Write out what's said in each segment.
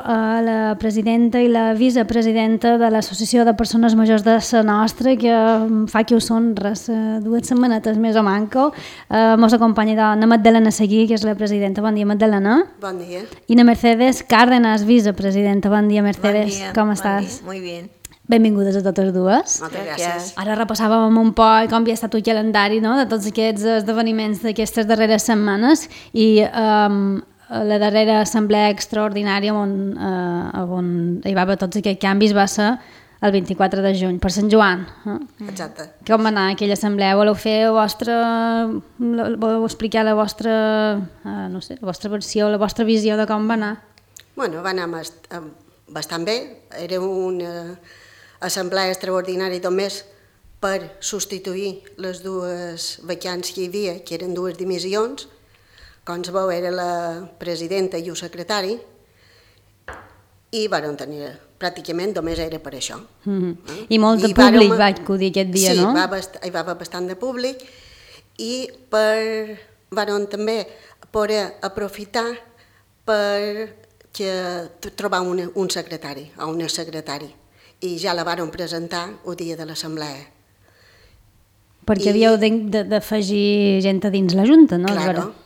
la presidenta i la vicepresidenta de l'Associació de Persones Majors de la nostra, que fa que ho són res, 2 setmanetes més o manco. Mos acompanya la Magdalena Seguí, que és la presidenta. Bon dia, Magdalena. Bon dia. I la Mercedes Cárdenas, vicepresidenta. Bon dia, Mercedes. Bon dia. Com estàs? Muy bien. Benvingudes a totes dues. Moltes gràcies. Ara repassàvem un poc com havia estat el calendari, no?, de tots aquests esdeveniments d'aquestes darreres setmanes i la darrera assemblea extraordinària on hi va haver tots aquests canvis va ser el 24 de juny, per Sant Joan. Exacte. Com va anar aquella assemblea? Voleu explicar la vostra, no sé, la vostra versió, la vostra visió de com va anar? Bueno, va anar bastant bé. Era una assemblea extraordinària només per substituir les 2 vacants que hi havia, que eren 2 dimissions. Com es veu, era la presidenta i el secretari, i vàrem tenir, pràcticament només era per això. I molt de públic va acudir aquest dia, no? Sí, hi va haver bastant de públic, i vàrem també poder aprofitar per trobar un secretari o una secretari, i ja la vàrem presentar el dia de l'assemblea. Perquè havíeu d'afegir gent a dins la Junta, no?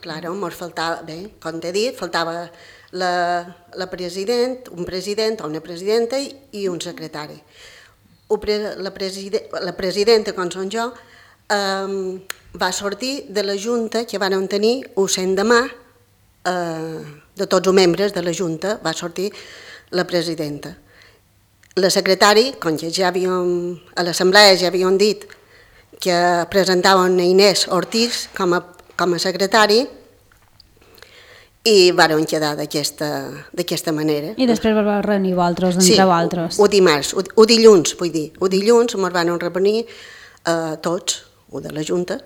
Claro, mos faltava, bé, com t'he dit, faltava un president o una presidenta i un secretari. La presidenta, com som jo, va sortir de la Junta que van tenir el l'endemà, de tots els membres de la Junta, va sortir la presidenta. La secretari, com que ja a l'assemblea ja havíem dit que presentaven a Inés Ortiz com a secretari, i vàrem quedar d'aquesta manera. I després vau reunir vosaltres, entre vosaltres. Sí, el dilluns, vull dir. El dilluns ens vam reunir tots, de la Junta,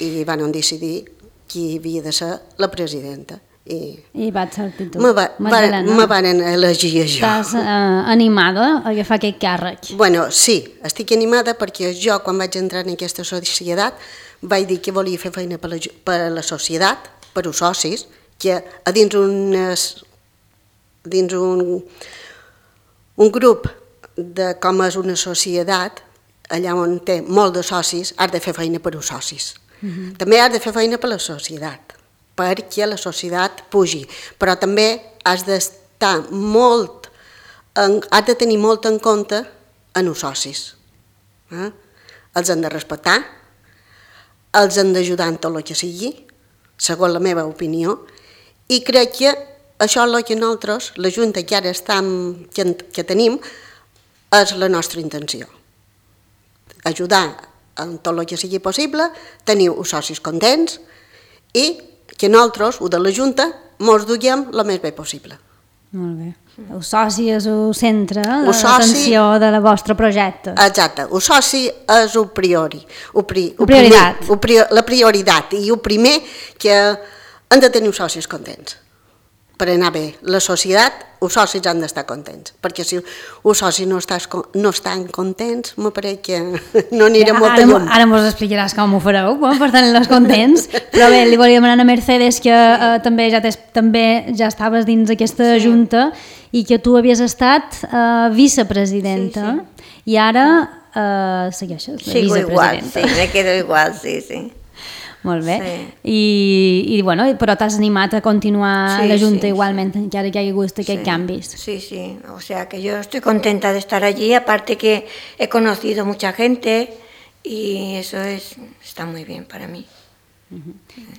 i vam decidir qui havia de ser la presidenta. I vaig sortir tu. Me van elegir jo. Estàs animada a agafar aquest càrrec? Bueno, sí, estic animada perquè jo, quan vaig entrar en aquesta societat, vaig dir que volia fer feina per a la societat, per als socis, que a dins un grup com és una societat, allà on té molt de socis, has de fer feina per als socis. També has de fer feina per a la societat, perquè la societat pugi, però també has de tenir molt en compte en els socis. Els han de respectar, els han d'ajudar en tot el que sigui, segons la meva opinió, i crec que això és el que nosaltres, la Junta que ara que tenim, és la nostra intenció. Ajudar en tot el que sigui possible, tenir els socis contents i que nosaltres, de la Junta, ens duguem el més bé possible. Molt bé. El soci és el centre, l'atenció del vostre projecte. Exacte. El soci és la prioritat i el primer que han de tenir els socis contents. Per anar bé, la societat, els socis han d'estar contents, perquè si els socis no estan contents, me pareix que no anirem molt lluny. Ara mos explicaràs com ho fareu, per tenir-los contents, però bé, li volia demanar a Mercedes que també ja estaves dins aquesta Junta i que tu havies estat vicepresidenta i ara segueixes la vicepresidenta. Sigo igual, sí, me quedo igual, sí. Molt bé. Sí. Bueno, però t'has animat a continuar la Junta igualment, encara que hagi hagut aquests canvis. Sí, o sea que yo estoy contenta de estar allí, aparte que he conocido mucha gente y eso está muy bien para mí.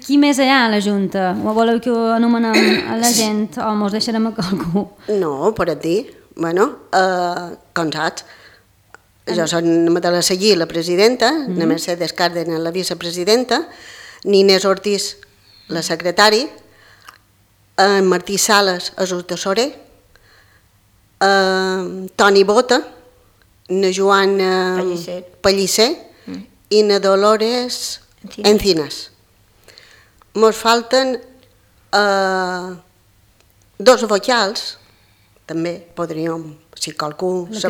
Qui més hi ha a la Junta? O voleu que anomenem a la gent o mos deixarem a qualcú? No, per a dir. Bueno, com saps, jo soc Magdalena Seguí, la presidenta, la Mercedes Cárdenas, la vicepresidenta, Inés Ortiz, la secretari, en Martí Sales és el tesorer, Toni Bota, na Joana Pellicer i na Dolores Encinas. Ens falten 2 vocals, també podríem, si qualcú se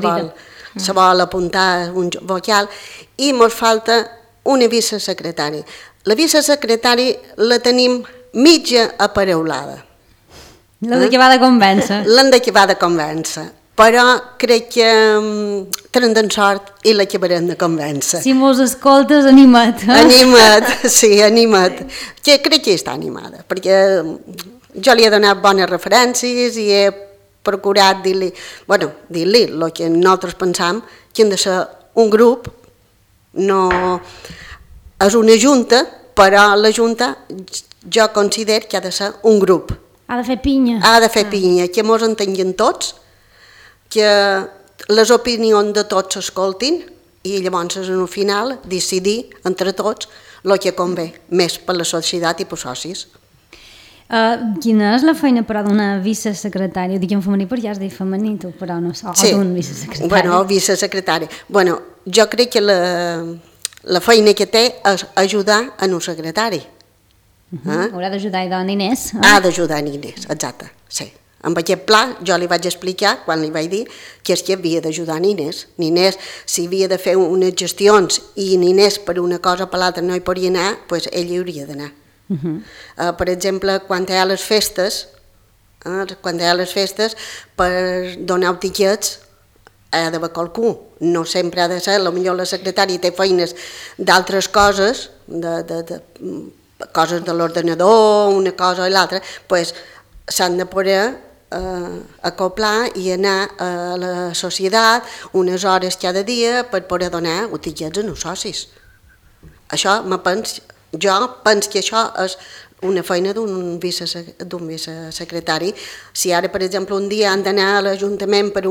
vol apuntar un vocal, i ens falta una vicesecretària. La vicesecretària la tenim mitja apareulada. La de que va de convèncer. L'han d'acabar de convèncer. Però crec que tenen sort i l'acabarem de convèncer. Si mos escoltes, anima't. Anima't, sí, anima't. Que crec que està animada, perquè jo li he donat bones referències i he procurat dir-li el que nosaltres pensam, que hem de ser un grup, no és una junta, però la junta jo considero que ha de ser un grup. Ha de fer pinya. Ha de fer pinya, que mos entenguin tots, que les opinions de tots s'escoltin i llavors en el final decidir entre tots el que convé més per la societat i per socis. Quina és la feina, però, d'una vicesecretària? Ho dic en femení perquè ja has dit femení, tu, però no sé, o d'un vicesecretari. Bueno, vicesecretari. Bueno, jo crec que la feina que té és ajudar en un secretari. Haurà d'ajudar a Inés. Ha d'ajudar en Inés, exacte, sí. Amb aquest pla jo li vaig explicar, quan li vaig dir, que és que havia d'ajudar en Inés. Inés, si havia de fer unes gestions i Inés per una cosa o per l'altra no hi podia anar, doncs ell hi hauria d'anar. Per exemple, quan hi ha les festes, per donar tiquets ha d'haver qualcú. No sempre ha de ser, potser la secretària té feines d'altres coses, coses de l'ordenador, una cosa o l'altra, doncs s'han de poder acoplar i anar a la societat unes hores cada dia per poder donar tiquets als socis. Això jo penso que això és una feina d'un vicesecretari. Si ara, per exemple, un dia han d'anar a l'Ajuntament per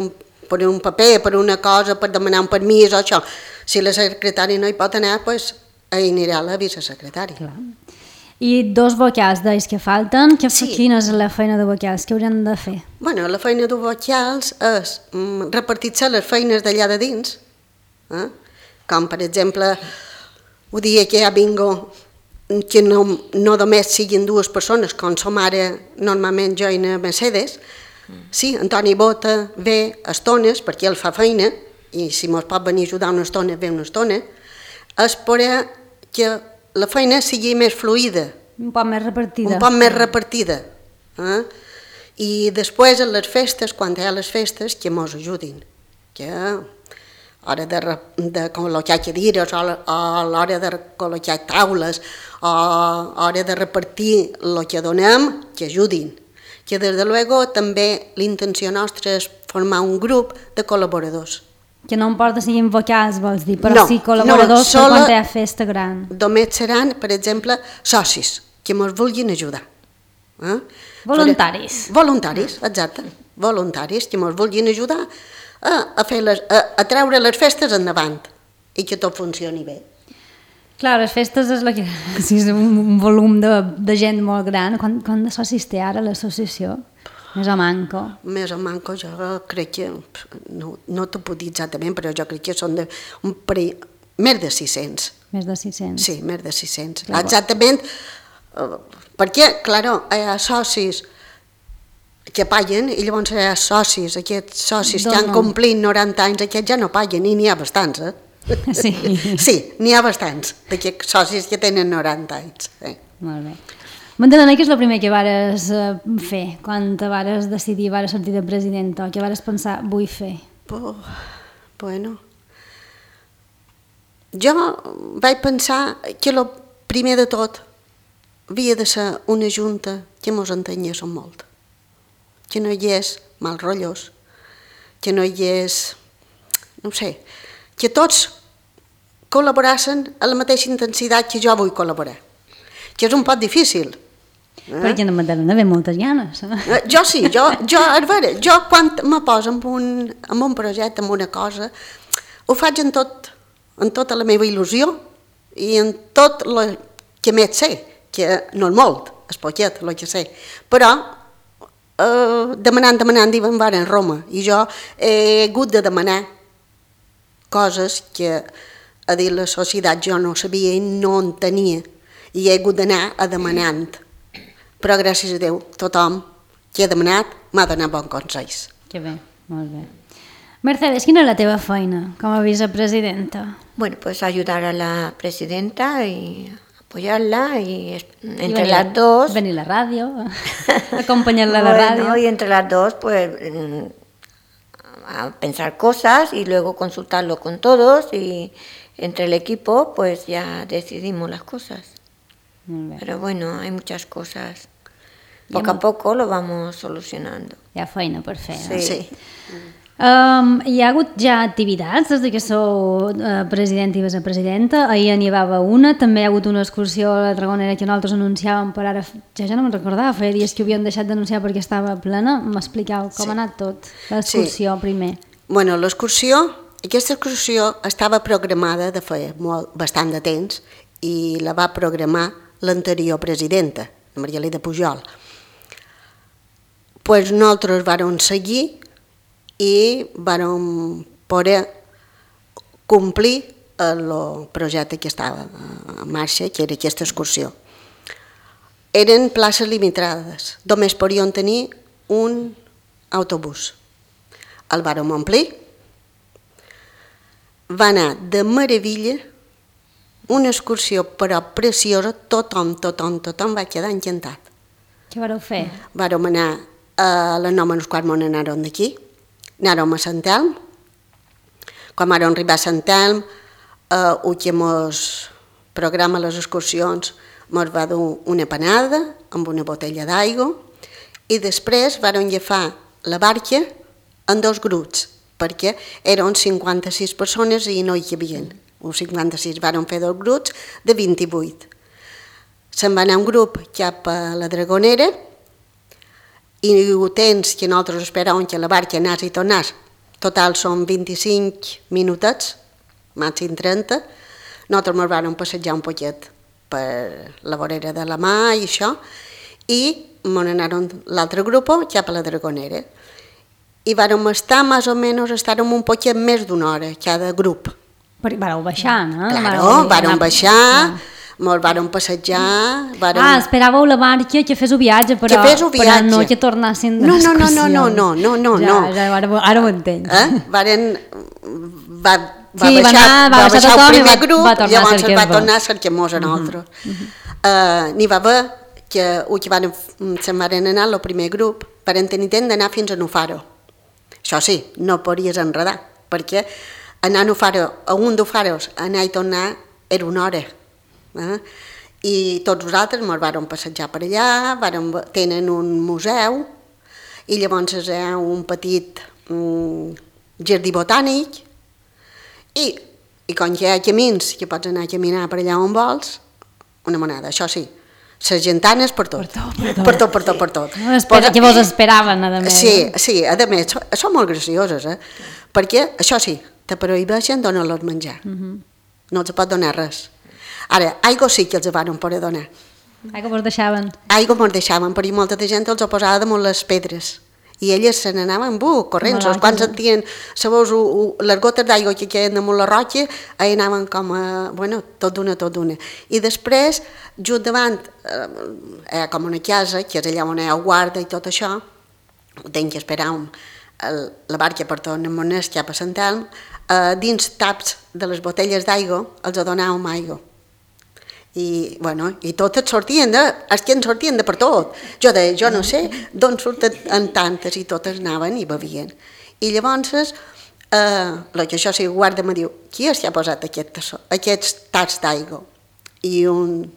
un paper, per una cosa, per demanar un permís o això, si la secretària no hi pot anar, doncs hi anirà la vicesecretària. Clar. I dos vocals d'ells que falten, quina és la feina de vocals? Què haurien de fer? Bueno, la feina de vocals és repartir-se les feines d'allà de dins, com per exemple, un dia que ja vingo, que no només siguin dues persones, com som ara normalment jo i la Mercedes, sí, Antoni Bota ve estones perquè ell fa feina, i si mos pot venir a ajudar una estona, ve una estona, és per que la feina sigui més fluida. Un poc més repartida. Un poc més repartida. I després, a les festes, quan hi ha les festes, que mos ajudin. Que a l'hora de col·locar cadires, o a l'hora de col·locar taules, o a l'hora de repartir el que donem, que ajudin. Que, des de luego, també la intenció nostra és formar un grup de col·laboradors. Que no importa si siguin vocals, vols dir, però sí col·laboradors per quan hi ha festa gran. Només seran, per exemple, socis, que ens vulguin ajudar. Voluntaris. Voluntaris, exacte. Voluntaris que ens vulguin ajudar a treure les festes endavant i que tot funcioni bé. Clar, les festes és un volum de gent molt gran. Quant de socis té ara l'associació? Més o manco. Més o manco, jo crec que, no t'ho puc dir exactament, però jo crec que són més de 600. Més de 600? Sí, més de 600. Exactament, perquè, clar, hi ha socis que paguen i llavors hi ha socis, aquests socis que han complit 90 anys, aquests ja no paguen i n'hi ha bastants, Sí. Sí, n'hi ha bastants d'aquests socis que tenen 90 anys. Molt bé. Magdalena, què és el primer que vares fer quan te vares decidir, vares sortir de presidenta, o què vares pensar, vull fer? Bueno, jo vaig pensar que el primer de tot havia de ser una junta que mos entenyés molt, que no hi hagués mal rotllos, que no hi hagués, no sé, que tots col·laborassin a la mateixa intensitat que jo vull col·laborar, que és un poc difícil. Perquè no Magdalena ve moltes ganes. Jo sí, jo quan me poso en un projecte, en una cosa, ho faig en tota la meva il·lusió i en tot el que més sé, que no és molt, és poquet el que sé, però demanant, diuen, van a Roma, i jo he hagut de demanar coses que a dir la societat jo no sabia i no en tenia, i he hagut d'anar a demanant. Però gràcies a Déu, tothom que he demanat m'ha donat bons consells. Que bé, molt bé. Mercedes, quina és la teva feina com a vicepresidenta? Bueno, pues ayudar a la presidenta y apoyarla y entre las dos... Venir a la ràdio, acompanyar-la a la ràdio. Y entre las dos, pues, a pensar cosas y luego consultarlo con todos y entre el equipo, pues ya decidimos las cosas. Pero bueno, hay muchas cosas. Poco a poco lo vamos solucionando. Hi ha feina per fer. Sí. Hi ha hagut ja activitats des que sou president i vicepresidenta. Ahir n'hi havia una, també hi ha hagut una excursió a la Dragonera que nosaltres anunciàvem, però ara ja no me'n recordava, feia dies que ho havien deixat d'anunciar perquè estava plena. M'expliqueu com ha anat tot, l'excursió primer. Bueno, aquesta excursió estava programada de feia bastant de temps i la va programar l'anterior presidenta, la Maria Elida Pujol. Pues nosaltres vàrem seguir i vàrem poder complir el projecte que estava en marxa, que era aquesta excursió. Eren places limitades, només podien tenir un autobús. El vàrem omplir, va anar de meravella, una excursió però preciosa, tothom va quedar encantat. Què vareu fer? Vàrem anar a les 9:15 anàrem d'aquí, anàrem a Sant Elm. Quan vàrem arribar a Sant Elm, el que ens programa les excursions ens va dur una panada amb una botella d'aigua i després vàrem agafar la barca en 2 grups, perquè eren 56 persones i no hi cabien. Uns 56 vàrem fer 2 grups de 28. Se'n va anar un grup cap a la Dragonera i el temps que nosaltres esperàvem que la barca anés i tornés, total són 25 minutets, màxim 30, nosaltres ens vam passejar un poquet per la vorera de la mà i això, i ens anàrem l'altre grup cap a la Dragonera. I vàrem estar, més o menys, estàrem un poquet més d'una hora, cada grup. Vareu baixar, no? Claro, vàrem baixar, ens vàrem passejar... Esperàveu la barca que fes el viatge, però no que tornassin de l'excursió. No. Ara ho entenc. Va baixar el primer grup, llavors va tornar a cercar-nos a nosaltres. N'hi va haver que se'n van anar el primer grup per intent d'anar fins a Nufaro. Això sí, no podies enredar, perquè anar a un d'Ufaros, anar i tornar, era una hora. I tots nosaltres ens vàrem passejar per allà, tenen un museu, i llavors hi ha un petit jardí botànic, i com que hi ha camins, que pots anar a caminar per allà on vols, una monada, això sí, les gentanes per tot. Per tot. Que vos esperaven, a més. Sí, a més, són molt gracioses, perquè, això sí, te prohibeixen donar-los menjar. No els pot donar res. Ara, aigua sí que els van poder donar. Aigua mos deixaven. Aigua mos deixaven, perquè molta gent els posava damunt les pedres. I elles se n'anaven corrents. Quan sentien, sabeu, les gotes d'aigua que queden damunt la roca, anaven com a, tot d'una. I després, just davant, com una casa, que és allà on hi ha guarda i tot això, tenc que esperar la barca per tornar cap a Sant Elm, dins taps de les botelles d'aigua els donàvem aigua. I totes sortien de per tot. Jo no sé d'on surten tantes i totes anaven i bevien. I llavors, el que això sí, guarda me diu, qui és que ha posat aquests taps d'aigua? I un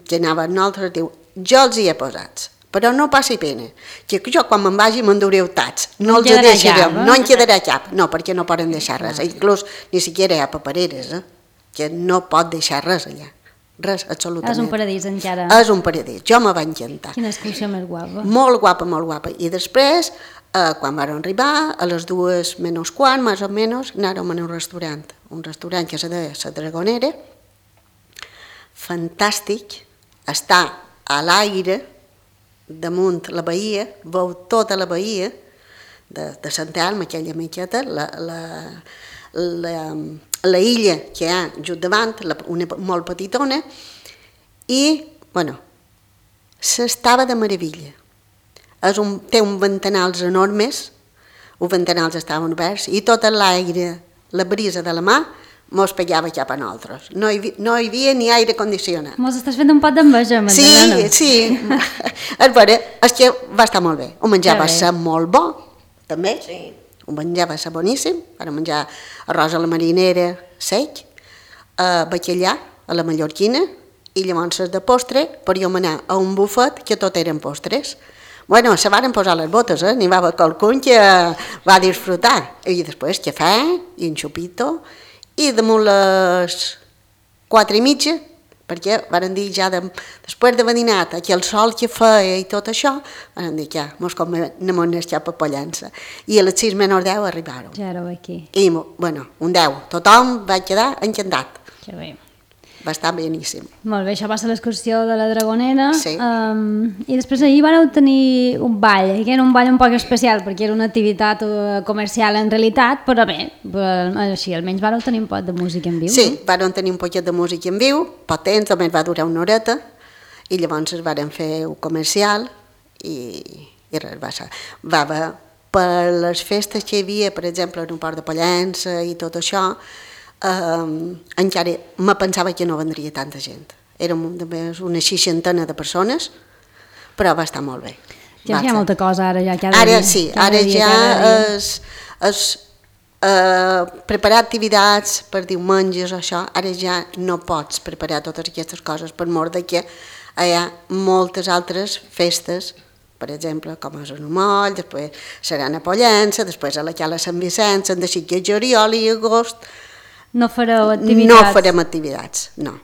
que anava amb nosaltres diu, jo els hi he posats, però no passi pena, que jo quan me'n vagi m'endureu tats, no els deixarem, no en quedarà cap, no, perquè no poden deixar res, inclús ni siquiera hi ha papereres, que no pot deixar res allà, res, absolutament. És un paradís encara. És un paradís, jo me va encantar. Quina excursió més guapa. Molt guapa. I després, quan vam arribar, a les 2:15, més o menys, anàrem a un restaurant que se deia La Dragonera, fantàstic, està a l'aire, damunt la bahia, veu tota la bahia de Sant Elm, aquella mitjeta, la illa que hi ha just davant, una molt petitona, i, s'estava de meravella. Té uns ventanals enormes, els ventanals estaven oberts, i tot l'aire, la brisa de la mà, mos pegava cap a nosaltres. No hi havia ni aire condicionat. Mos estàs fent un pot d'enveja, Magdalena. Sí. A veure, és que va estar molt bé. Ho menjar va ser molt bo, també. Sí. Ho menjar va ser boníssim. Vam menjar arròs a la marinera sec, bacallà a la mallorquina, i llavors de postre podíem anar a un bufet que tot eren postres. Bueno, se varen posar les botes, n'hi va haver qualcun que va disfrutar. I després cafè i un xupito, i damunt les 4:30, perquè varen dir ja després d'haver dinat, que el sol que feia i tot això, varen dir que mos anem a cap a Pollença. I a les 6:10 arribaron. Ja éreu aquí. I, bueno, un 10. Tothom va quedar encantat. Que bé. Va estar beníssim. Molt bé, això va ser l'excursió de la Dragonera. Sí. I després ahir vareu tenir un ball, que era un ball un poc especial, perquè era una activitat comercial en realitat, però bé, així almenys vareu tenir un pot de música en viu. Sí, vàrem tenir un poquet de música en viu, pot temps, només va durar una horeta, i llavors vàrem fer un comercial, i res, va haver per les festes que hi havia, per exemple, en un port de Pollença i tot això, encara me pensava que no vendria tanta gent. Érem una 60 de persones, però va estar molt bé. Ja hi ha molta cosa ara ja cada dia. dia. Sí, ara ja és preparar activitats per diumenges o això, ara ja no pots preparar totes aquestes coses per mort de que hi ha moltes altres festes, per exemple, com és un moll, després seran a Pollença, després a la Cala Sant Vicenç, han decidit que juliol i agost. No fareu activitats? No farem activitats, no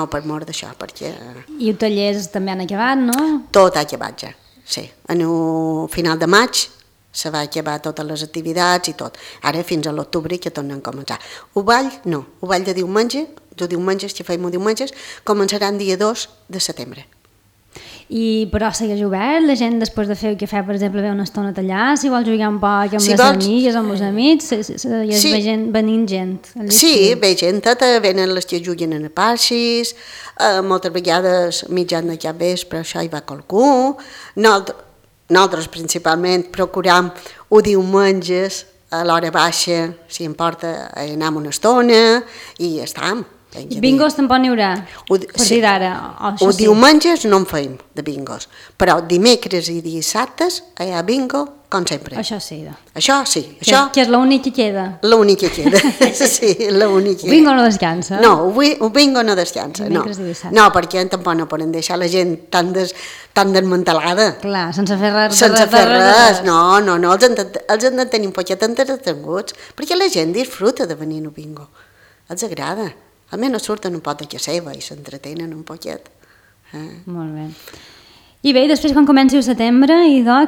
per mort d'això, perquè... I els tallers també han acabat, no? Tot ha acabat ja, sí. En el final de maig se va acabar totes les activitats i tot. Ara fins a l'octubre que tornen a començar. El ball, no. El ball de diumenges, que feim diumenges, començarà el dia 2 de setembre. Però segueix obert, la gent després de fer el cafè, per exemple, ve una estona a tallar, si vols jugar un poc amb les amigues, amb els amics, i es ve gent, venint gent. Sí, ve gent, venen les que juguen en parxis, moltes vegades mitjan de cap vespre, això hi va qualcú. Nosaltres principalment procuram o diumenges a l'hora baixa, si em porta, anar una estona i estam. I bingos tampoc n'hi haurà, per dir d'ara. O diumenges no en feim, de bingos, però dimecres i dissabtes hi ha bingo, com sempre. Això sí. Això sí. Que és l'únic que queda. L'únic que queda, sí, l'únic que queda. El bingo no descansa? No, el bingo no descansa, no. No, perquè tampoc no poden deixar la gent tan desmantelada. Clar, sense fer res. Sense fer res, no, els han de tenir un poquet entretinguts, perquè la gent disfruta de venir al bingo, els agrada. Almenys surten un pot de casa seva i s'entretenen un poquet. Molt bé. I bé, després quan comenci el setembre,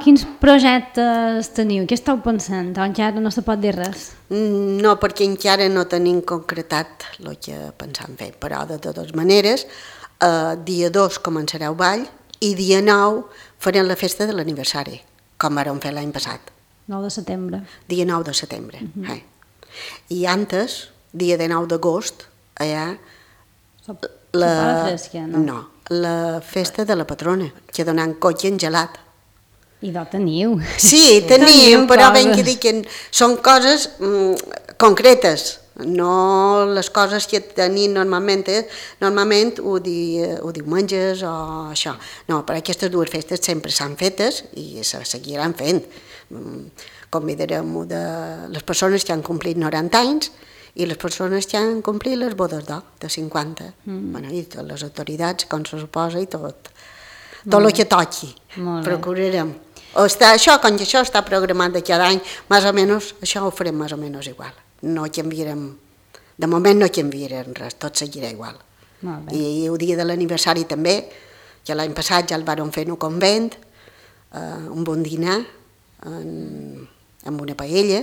quins projectes teniu? Què esteu pensant? Encara no se pot dir res? No, perquè encara no tenim concretat el que pensam fer, però de totes maneres, dia 2 començarà el ball i dia 9 farem la festa de l'aniversari, com vam fer l'any passat. 9 de setembre. Dia 9 de setembre. I antes, dia de 9 d'agost, allà la festa de la patrona, que donen cotxe en gelat. I teniu. Sí, tenim, però ben que dic que són coses concretes, no les coses que tenim normalment ho diumenges o això. No, però aquestes dues festes sempre s'han fetes i se seguiran fent. Convidarem les persones que han complit 90 anys i les persones que han complit les bodes d'or de 50, i les autoritats, com se suposa, i tot el que toqui, procurarem. Això, com que això està programat de cada any, més o menys, això ho farem més o menys igual. No canviarem, de moment no canviarem res, tot seguirà igual. I el dia de l'aniversari també, que l'any passat ja el vàrem fer en un convent, un bon dinar, amb una paella,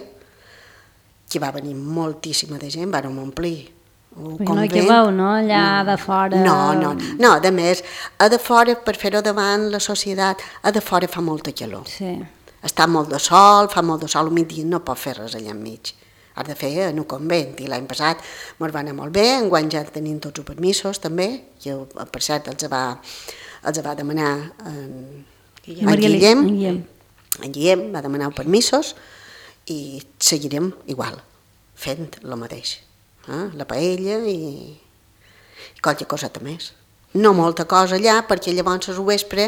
que va venir moltíssima de gent, vàrem omplir el convent. No hi cabeu, no? Allà de fora... No, a més, a de fora, per fer-ho davant la societat, a de fora fa molta calor. Sí. Està molt de sol, fa molt de sol, al migdia no pot fer res allà enmig. Has de fer en un convent, i l'any passat ens va anar molt bé, enguany ja tenim tots els permisos també, que per cert els va demanar en Guillem. En Guillem va demanar permisos, i seguirem igual, fent el mateix. la paella i qualque coseta més. No molta cosa allà, perquè llavors al vespre,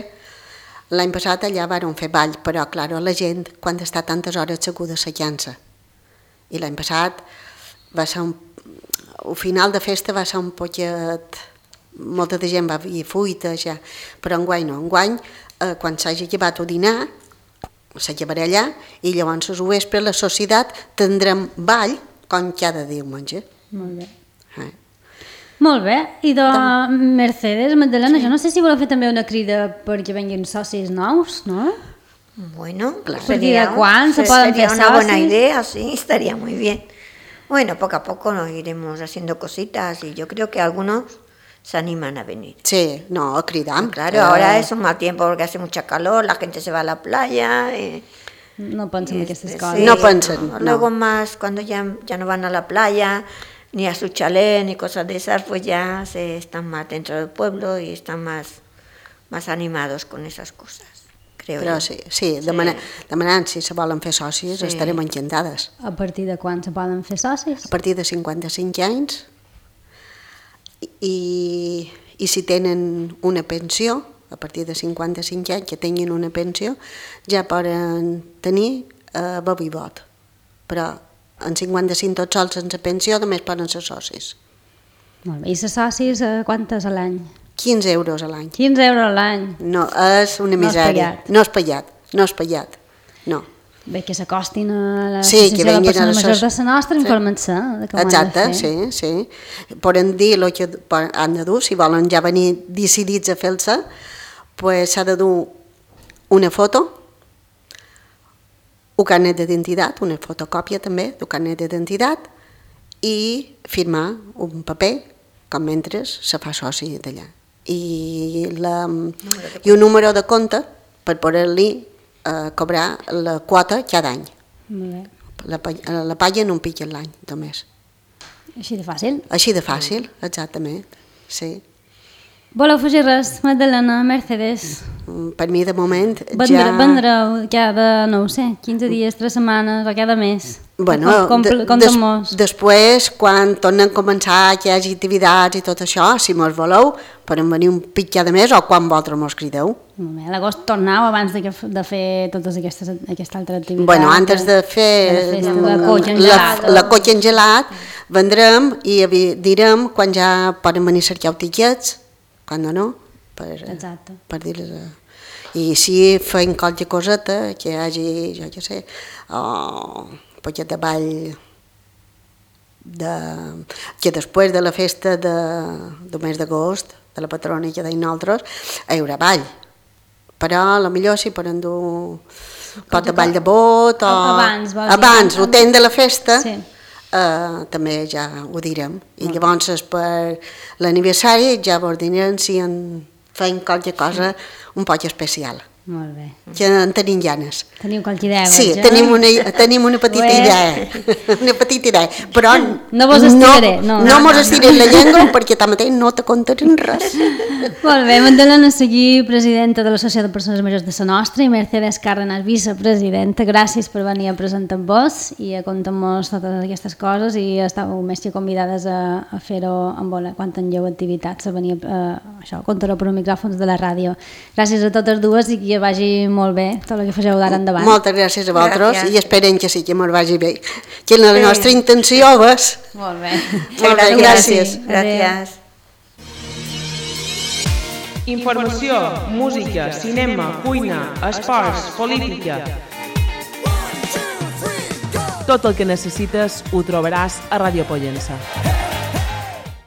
l'any passat allà vàrem fer ball, però, clar, la gent, quan està tantes hores asseguda, s'allança. I l'any passat va ser el final de festa va ser un poquet... Molta de gent va dir fuita, ja, però enguany no. Enguany, quan s'hagi llevat a dinar, se llevarà allà, i llavors al vespre la societat tindrem ball com cada diumenge. Molt bé. Molt bé. I de Mercedes, Magdalena, jo no sé si voleu fer també una crida perquè venguin socis nous, ¿no? Bueno, claro. ¿De cuán se pueden hacer sería una buena idea, sí, estaría muy bien. Bueno, poco a poco nos iremos haciendo cositas y yo creo que algunos se animan a venir. Sí, no, a cridar. Claro, ahora es un mal tiempo porque hace mucha calor, la gente se va a la playa. No piensan en estas cosas. Sí, no piensan. No. Luego más, cuando ya no van a la playa, ni a su chalet, ni cosas de esas, pues ya están más dentro del pueblo y están más animados con esas cosas. Però sí, demanant si se volen fer socis estarem encantades. A partir de quan se poden fer socis? A partir de 55 anys i si tenen una pensió, a partir de 55 anys que tinguin una pensió, ja poden tenir vot i vot. Però en 55 tots sols sense pensió només poden ser socis. Molt bé. I ser socis quantes a l'any? 15 euros a l'any. 15 euros a l'any. No, és una misèria. No és pagat, no. Bé, que s'acostin a l'associació de persones majors de la nostra, informant-se de com exacte, han de fer. sí. Poden dir el que han de dur, si volen ja venir decidits a fer-se, pues s'ha de dur una foto, un carnet d'identitat, una fotocòpia també d'un carnet d'identitat i firmar un paper com mentre se fa soci d'allà. I un número de compte per poder-li cobrar la quota cada any. La paguen un pic l'any, només. Així de fàcil? Així de fàcil, exactament, sí. Voleu afegir res, Magdalena, Mercedes? Per mi, de moment, vendreu cada, no ho sé, 15 dies, 3 setmanes o cada mes? Bueno, després, quan tornen a començar que hi hagi activitats i tot això, si mos voleu, podem venir un pic cada mes o quan vosaltres mos crideu. A l'agost tornau abans de fer totes aquesta altra activitat. Bueno, antes de fer la cotxa en gelat, vendrem i direm quan ja poden venir a cercar tiquets, quan no, per dir-les... I si feim qualque coseta, que hi hagi, jo què sé, un poquet de ball, que després de la festa del mes d'agost, de la patrona que deim nosaltres, hi haurà ball. Però potser si poden dur un pot de ball de bot o... Abans, el temps de la festa, també ja ho direm. I llavors per l'aniversari ja vos direm si feim qualque cosa un poc especial. Molt bé. Que en tenim ganes. Teniu qualque idea? Sí, tenim una petita idea. Una petita idea. Però no vos estiraré. No mos estiraré la llengua perquè tanmateix no te contarem res. Molt bé, Magdalena Seguí, presidenta de l'Associació de Persones Majors de la Nostra, i Mercedes Cárdenas, vicepresidenta. Gràcies per venir a presentar-vos i a contar-nos totes aquestes coses i estàu més que convidades a fer-ho quan tingueu activitats, a venir a contar-ho per micròfons de la ràdio. Gràcies a totes dues i que vagi molt bé tot el que fageu d'ara endavant. Moltes gràcies a vosaltres i esperem que sí, que ens vagi bé. Que la nostra intenció és... Molt bé. Moltes gràcies. Gràcies. Informació, música, cinema, cuina, esports, política. Tot el que necessites ho trobaràs a Ràdio Pollença.